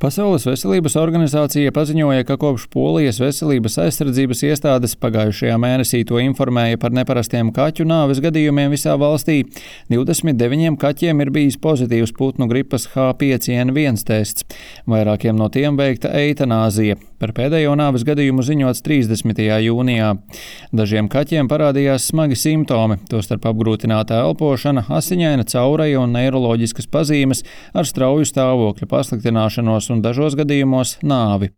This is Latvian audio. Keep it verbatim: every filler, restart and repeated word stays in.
Pasaules veselības organizācija paziņoja, ka kopš Polijas veselības aizsardzības iestādes pagājušajā mēnesī to informēja par neparastiem kaķu nāves gadījumiem visā valstī. divdesmit deviņiem kaķiem ir bijis pozitīvs putnu gripas H pieci N viens tests. Vairākiem no tiem veikta eitanāzija. Par pēdējo nāves gadījumu ziņots trīsdesmitajā jūnijā. Dažiem kaķiem parādījās smagi simptomi, tostarp apgrūtināta elpošana, asiņaina caureja un neiroloģiskas pazīmes ar strauju stāvokļa pasliktināšanos un dažos gadījumos nāvi.